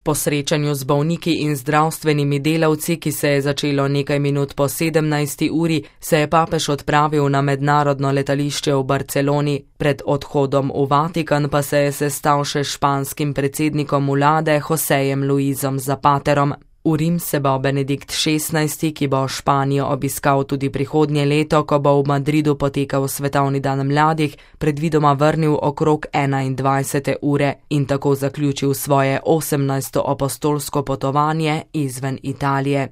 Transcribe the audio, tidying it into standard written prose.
Po srečanju z bolniki in zdravstvenimi delavci, ki se je začelo nekaj minut po 17. uri, se je papež odpravil na mednarodno letališče v Barceloni. Pred odhodom v Vatikan pa se je sestal še s španskim predsednikom vlade Josejem Luisom Zapaterom. V Rim se bo Benedikt XVI, ki bo Španijo obiskal tudi prihodnje leto, ko bo v Madridu potekal svetovni dan mladih, predvidoma vrnil okrog 21. ure in tako zaključil svoje 18. apostolsko potovanje izven Italije.